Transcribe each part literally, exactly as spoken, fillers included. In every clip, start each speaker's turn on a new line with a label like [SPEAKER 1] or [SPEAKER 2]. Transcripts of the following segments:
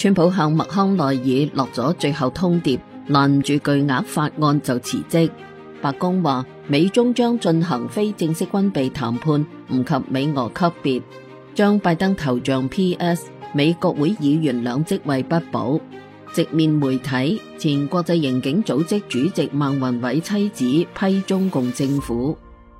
[SPEAKER 1] 川普向麥康奈爾落咗最後通牒，攔住巨額法案就辭職。白宮話美中將進行非正式軍備談判，唔及美俄級別，將拜登頭像 P S 美國會議員兩職位不保。直面媒體，前國際刑警組織主席孟宏偉妻子批中共政府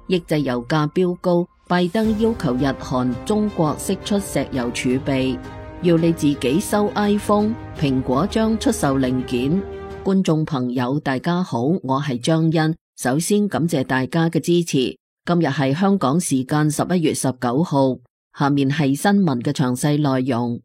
[SPEAKER 1] 抑制油價飆高，拜登要求日韓中國釋出石油儲備，要你自己收 iPhone， 蘋果將出售零件。觀眾朋友大家好，我係張欣，首先感謝大家嘅支持。今日係香港時間十一月十九號，下面係新聞嘅詳細內容。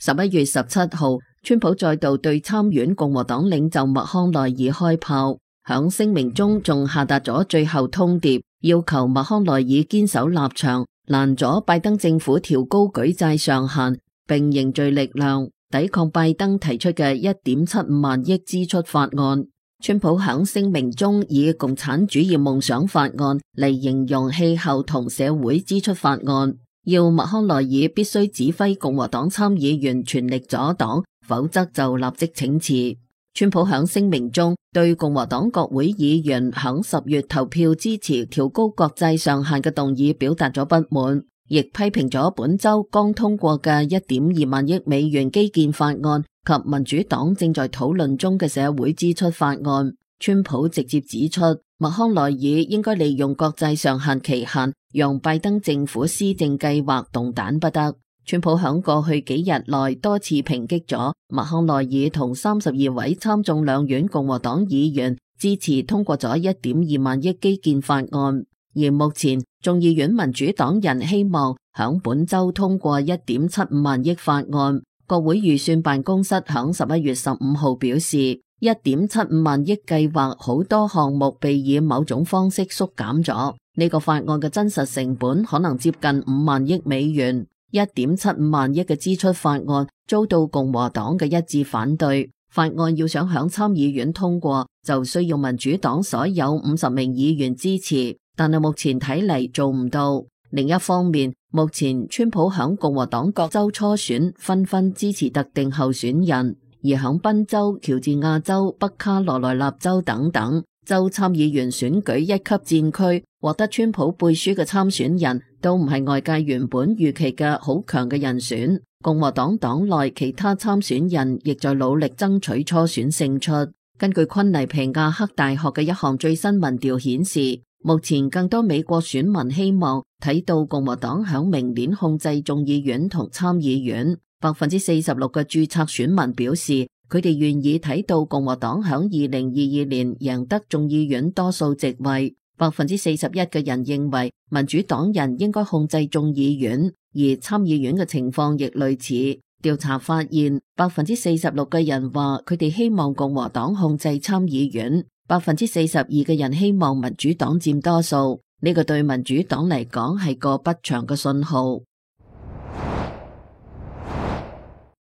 [SPEAKER 1] 十一月十七號，川普再度對參院共和黨領袖麥康奈爾開炮，響聲明中仲下達咗最後通牒，要求麥康奈爾堅守立場，攔咗拜登政府調高舉債上限，並凝聚力量抵抗拜登提出嘅一點七五萬億支出法案。川普響聲明中以共產主義夢想法案嚟形容氣候同社會支出法案，要麥康奈爾必須指揮共和黨參議員全力阻擋，否則就立即請辭。川普響聲明中對共和黨國會議員響十月投票支持調高國債上限嘅動議表達咗不滿，亦批評咗本周剛通過嘅一點二萬億美元基建法案及民主黨正在討論中嘅社會支出法案。川普直接指出，麥康奈爾應該利用國債上限期限，讓拜登政府施政計劃動彈不得。川普響過去幾日內多次抨擊咗麥康奈爾同三十二位參眾兩院共和黨議員支持通過咗一點二萬億基建法案，而目前眾議院民主黨人希望響本周通過一點七五萬億法案。國會預算辦公室響十一月十五號表示，一點七五萬億計劃好多項目被以某種方式縮減咗，呢個法案嘅真實成本可能接近五萬億美元。一點七五萬億嘅支出法案遭到共和黨嘅一致反對，法案要想響參議院通過，就需要民主黨所有五十名議員支持，但係目前睇嚟做唔到。另一方面，目前川普響共和黨各州初選紛紛支持特定候選人，而響賓州、喬治亞州、北卡羅來納州等等州參議員選舉一級戰區，獲得川普背書嘅參選人都唔係外界原本預期嘅好強嘅人選。共和黨黨內其他參選人亦在努力爭取初選勝出。根據昆尼皮亞克大學嘅一項最新民調顯示，目前更多美國選民希望睇到共和黨響明年控制眾議院同參議院。百分之四十六嘅註冊選民表示，佢哋願意睇到共和黨響二零二二年贏得眾議院多數席位。百分之四十一嘅人認為民主黨人應該控制眾議院，而參議院嘅情況亦類似。調查發現，百分之四十六嘅人話佢哋希望共和黨控制參議院，百分之四十二嘅人希望民主黨佔多數。呢個對民主黨嚟講係個不祥嘅信號。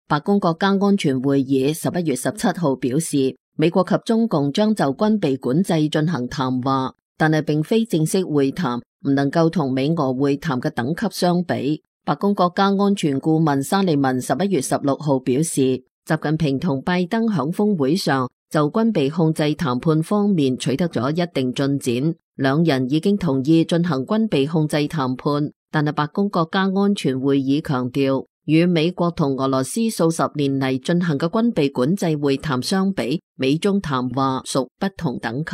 [SPEAKER 1] 白宮國家安全會議十一月十七號表示，美國及中共將就軍備管制進行談話，但係並非正式會談，唔能夠同美俄會談嘅等級相比。白宮國家安全顧問沙利文十一月十六號表示，習近平同拜登響峰會上就軍備控制談判方面取得咗一定進展，兩人已經同意進行軍備控制談判，但係白宮國家安全會議強調，與美國同俄羅斯數十年嚟進行嘅軍備管制會談相比，美中談話屬不同等級。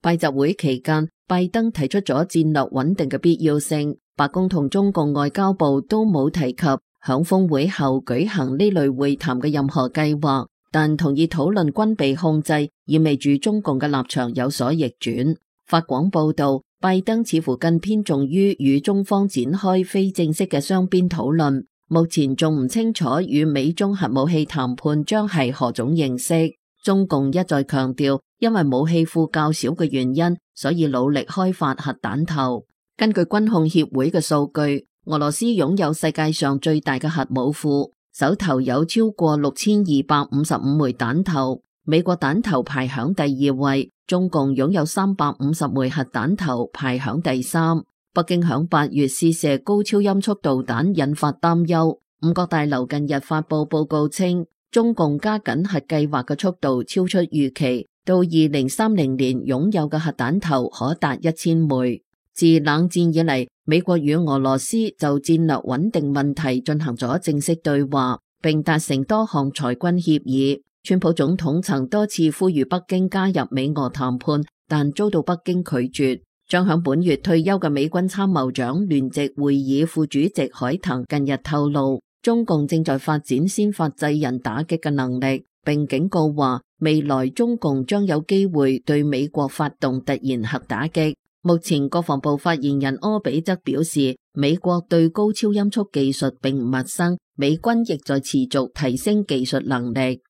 [SPEAKER 1] 拜習會期間，拜登提出咗戰略穩定嘅必要性，白宮同中共外交部都冇提及響峰會後舉行呢類會談嘅任何計劃，但同意討論軍備控制，意味住中共嘅立場有所逆轉。法廣報道，拜登似乎更偏重於與中方展開非正式嘅雙邊討論，目前仲唔清楚與美中核武器談判將係何種形式。中共一再強調，因為武器庫較少嘅原因，所以努力開發核彈頭。根據軍控協會嘅數據，俄羅斯擁有世界上最大嘅核武庫，手頭有超過六千二百五十五枚彈頭，美國彈頭排響第二位，中共擁有三百五十枚核彈頭排響第三。北京響八月試射高超音速導彈引發擔憂，五角大樓近日發佈報告稱，中共加緊核計劃嘅速度超出預期，到二零三零年擁有嘅核彈頭可達一千枚。自冷戰以嚟，美國與俄羅斯就戰略穩定問題進行咗正式對話，並達成多項裁軍協議。川普總統曾多次呼籲北京加入美俄談判，但遭到北京拒絕。將響本月退休嘅美軍參謀長聯席會議副主席海騰近日透露，中共正在發展先發制人打擊嘅能力，並警告話未來中共將有機會對美國發動突然核打擊。目前國防部發言人柯比則表示，美國對高超音速技術並唔陌生，美軍亦在持續提升技術能力。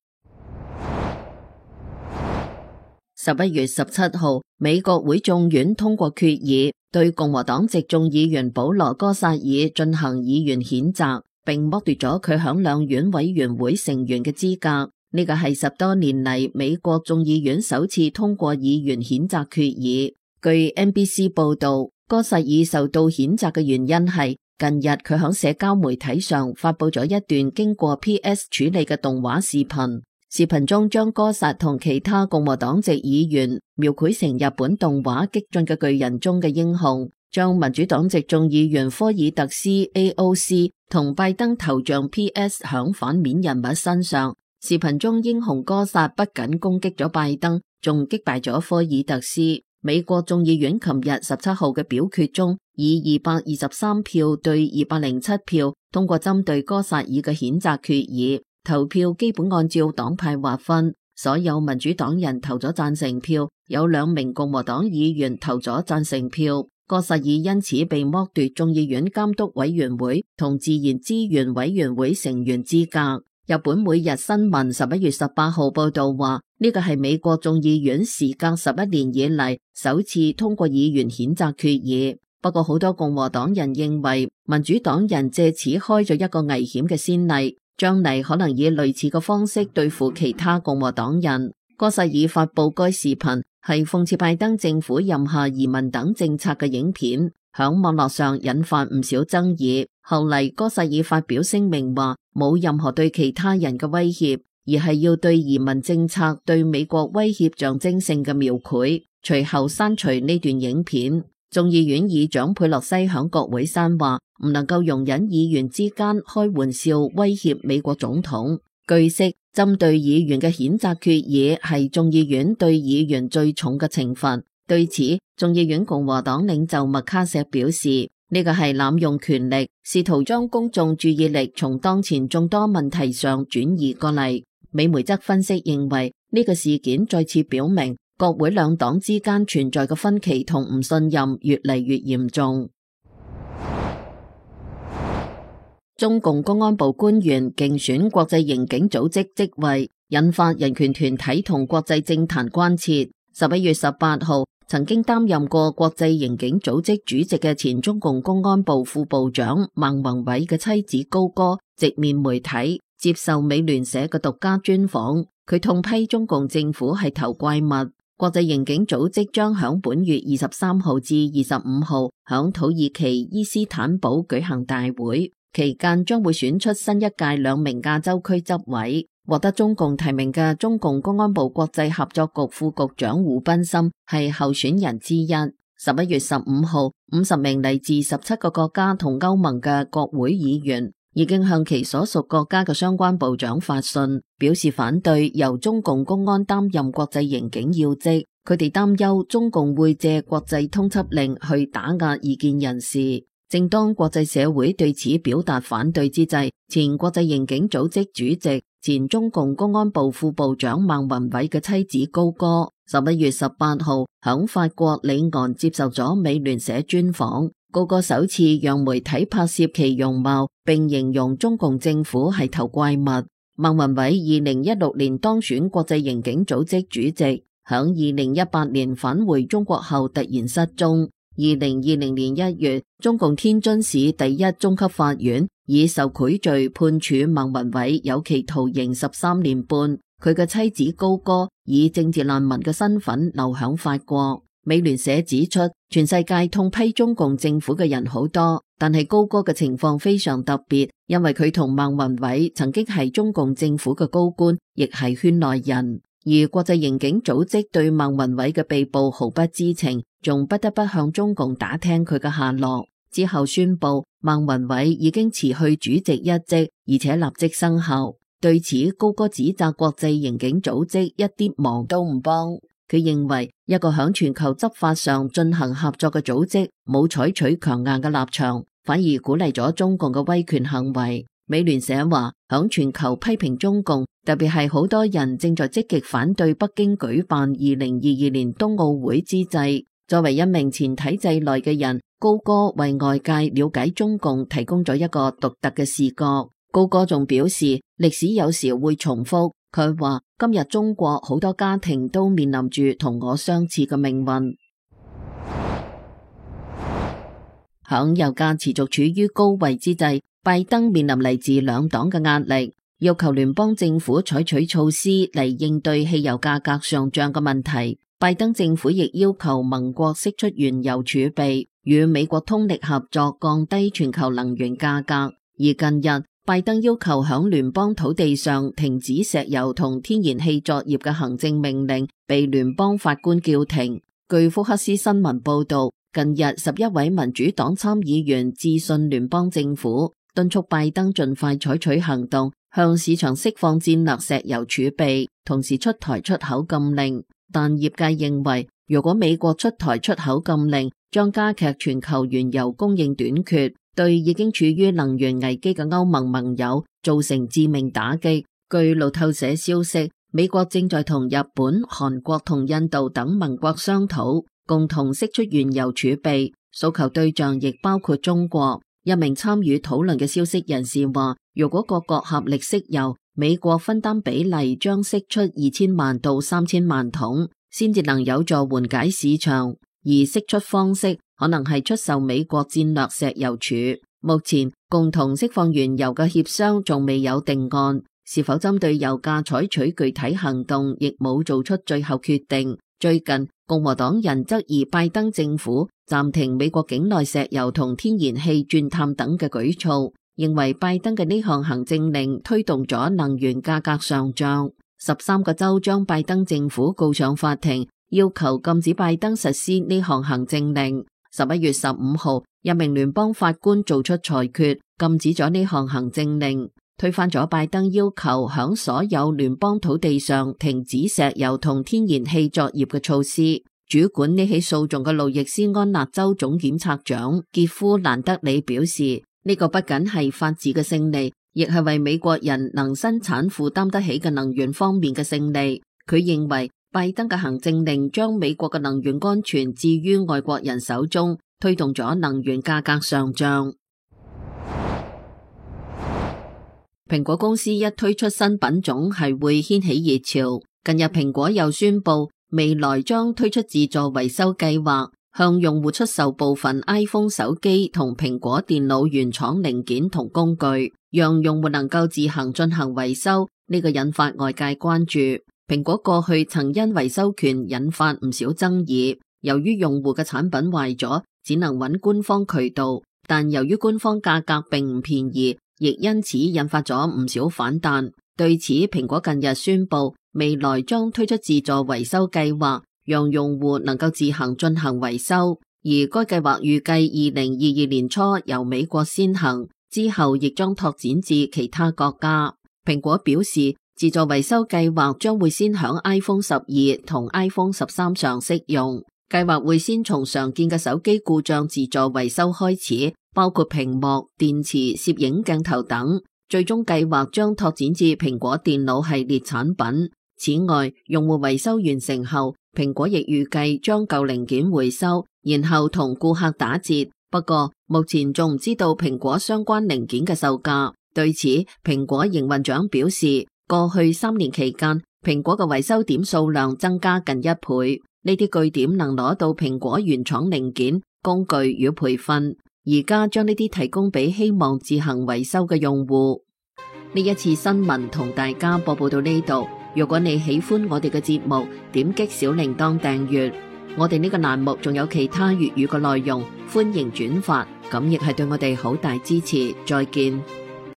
[SPEAKER 1] 十一月十七號，美國會眾院通過決議，對共和黨籍眾議員保羅·戈薩爾進行議員譴責，並剝奪咗佢響兩院委員會成員嘅資格。呢個係十多年嚟美國眾議院首次通過議員譴責決議。據 N B C 報道，戈薩爾受到譴責嘅原因係近日佢響社交媒體上發佈咗一段經過 P S 處理嘅動畫視頻。視頻中將戈薩同其他共和黨籍議員描繪成日本動畫激進嘅巨人中嘅英雄，將民主黨籍眾議員科爾特斯 A O C 同拜登頭像 P S 響反面人物身上。視頻中英雄戈薩不僅攻擊咗拜登，仲擊敗咗科爾特斯。美國眾議院琴日十七號嘅表決中，以二百二十三票對二百零七票通過針對戈薩爾嘅譴責決議。投票基本按照黨派劃分，所有民主黨人投咗贊成票，有兩名共和黨議員投咗贊成票。戈薩爾因此被剝奪眾議院監督委員會同自然資源委員會成員資格。日本每日新聞十一月十八號報道話，呢個係美國眾議院時隔十一年以嚟首次通過議員譴責決議。不過好多共和黨人認為民主黨人借此開咗一個危險嘅先例，將嚟可能以類似嘅方式對付其他共和黨人。戈薩爾發佈該視頻係諷刺拜登政府任下移民等政策嘅影片，響網絡上引發唔少爭議。後嚟戈薩爾發表聲明話，冇任何對其他人嘅威脅，而係要對移民政策對美國威脅象徵性嘅描繪。隨後刪除呢段影片。眾議院議長佩洛西響國會山話，唔能夠容忍議員之間開玩笑威脅美國總統。據悉，針對議員嘅譴責決議係眾議院對議員最重嘅懲罰。對此，眾議院共和黨領袖麥卡錫表示，呢個係濫用權力，試圖將公眾注意力從當前眾多問題上轉移過嚟。美媒則分析認為，呢個事件再次表明國會兩黨之間存在嘅分歧同唔信任越嚟越嚴重。中共公安部官員競選國際刑警組織職位，引發人權團體同國際政壇關切。十一月十八號，曾經擔任過國際刑警組織主席嘅前中共公安部副部長孟宏偉嘅妻子高歌直面媒體，接受美聯社嘅獨家專訪。佢痛批中共政府係頭怪物。國際刑警組織將響本月二十三號至二十五號響土耳其伊斯坦堡舉行大會，期間將會選出新一屆兩名亞洲區執委。獲得中共提名嘅中共公安部國際合作局副局長胡斌森係候選人之一。十一月十五號，五十名嚟自十七個國家同歐盟嘅國會議員已經向其所屬國家嘅相關部長發信，表示反對由中共公安擔任國際刑警要職。佢哋擔憂中共會借國際通緝令去打壓異見人士。正當國際社會對此表達反對之際，前國際刑警組織主席、前中共公安部副部長孟宏偉嘅妻子高歌，十一月十八號響法國里昂接受咗美聯社專訪。高歌首次讓媒體拍攝其容貌，並形容中共政府係頭怪物。孟宏偉二零一六年當選國際刑警組織主席，響二零一八年返回中國後突然失蹤。二零二零年一月，中共天津市第一中級法院以受賄罪判處孟宏偉有期徒刑十三年半。佢嘅妻子高歌以政治難民嘅身份流響法國。美聯社指出，全世界痛批中共政府嘅人好多，但係高歌嘅情況非常特別，因為佢同孟宏偉曾經係中共政府嘅高官，亦係圈內人。而國際刑警組織對孟宏偉嘅被捕毫不知情，仲不得不向中共打聽佢嘅下落。之後宣布孟宏偉已經辭去主席一職，而且立即生效。對此，高歌指責國際刑警組織一啲忙都唔幫。佢認為一個響全球執法上進行合作嘅組織冇採取強硬嘅立場，反而鼓勵咗中共嘅威權行為。美聯社話，響全球批評中共，特別係好多人正在積極反對北京舉辦二零二二年冬奧會之際，作為一名前體制內嘅人，高歌為外界了解中共提供咗一個獨特嘅視角。高歌仲表示，歷史有時會重複。佢話今日中國好多家庭都面臨住同我相似嘅命運。響油價持續處於高位之際，拜登面臨嚟自兩黨嘅壓力，要求聯邦政府採取措施嚟應對汽油價格上漲嘅問題。拜登政府亦要求盟國釋出原油儲備，與美國通力合作降低全球能源價格。而近日，拜登要求響聯邦土地上停止石油同天然氣作業嘅行政命令被聯邦法官叫停。據福克斯新聞報道，近日十一位民主黨參議員致信聯邦政府，敦促拜登盡快採取行動，向市場釋放戰略石油儲備，同時出台出口禁令。但業界認為，如果美國出台出口禁令，將加劇全球原油供應短缺，對已經處於能源危機嘅歐盟盟友造成致命打擊。據路透社消息，美國正在同日本、韓國同印度等盟國商討，共同釋出原油儲備，訴求對象亦包括中國。一名參與討論嘅消息人士話，如果各國合力釋油，美國分擔比例將釋出二千萬到三千萬桶，先至能有助緩解市場。而釋出方式可能係出售美國戰略石油儲。目前共同釋放原油嘅協商仲未有定案，是否針對油價採取具體行動亦冇做出最後決定。最近共和黨人質疑拜登政府暫停美國境內石油同天然氣鑽探等嘅舉措，認為拜登嘅呢項行政令推動咗能源價格上漲。十三個州將拜登政府告上法庭，要求禁止拜登實施呢項行政令。十一月十五號，一名聯邦法官做出裁決，禁止咗呢項行政令，推翻咗拜登要求響所有聯邦土地上停止石油同天然氣作業嘅措施。主管呢起訴訟嘅路易斯安那州總檢察長傑夫蘭德里表示，呢個不僅係法治嘅勝利，亦係為美國人能生產負擔得起嘅能源方面嘅勝利。佢認為拜登嘅行政令將美國嘅能源安全置於外國人手中，推動咗能源價格上漲。蘋果公司一推出新品種係會掀起熱潮。近日蘋果又宣布未來將推出自助維修計劃，向用戶出售部分 iPhone 手機同蘋果電腦原廠零件同工具，讓用戶能夠自行進行維修。呢個引發外界關注。蘋果過去曾因維修權引發唔少爭議，由於用戶嘅產品壞咗，只能揾官方渠道，但由於官方價格並唔便宜，亦因此引發咗唔少反彈。對此，蘋果近日宣布，未來將推出自助維修計劃，讓用戶能夠自行進行維修，而該計劃預計二零二二年初由美國先行，之後亦將拓展至其他國家。蘋果表示，自助維修計劃將會先響 iPhone 十二同 iPhone 十三上適用。計劃會先從常見嘅手機故障自助維修開始，包括屏幕、電池、攝影鏡頭等。最終計劃將拓展至蘋果電腦系列產品。此外，用戶維修完成後，蘋果亦預計將舊零件回收，然後同顧客打折。不過，目前仲唔知道蘋果相關零件嘅售價。對此，蘋果營運長表示，過去三年期間，蘋果嘅維修點數量增加近一倍。呢啲據點能攞到蘋果原廠零件、工具與培訓，而家將呢啲提供俾希望自行維修嘅用戶。呢一次新聞同大家播報到呢度，如果你喜歡我哋嘅節目，點擊小鈴鐺訂閱。我哋呢個欄目仲有其他粵語嘅內容，歡迎轉發，咁亦係對我哋好大支持。再見。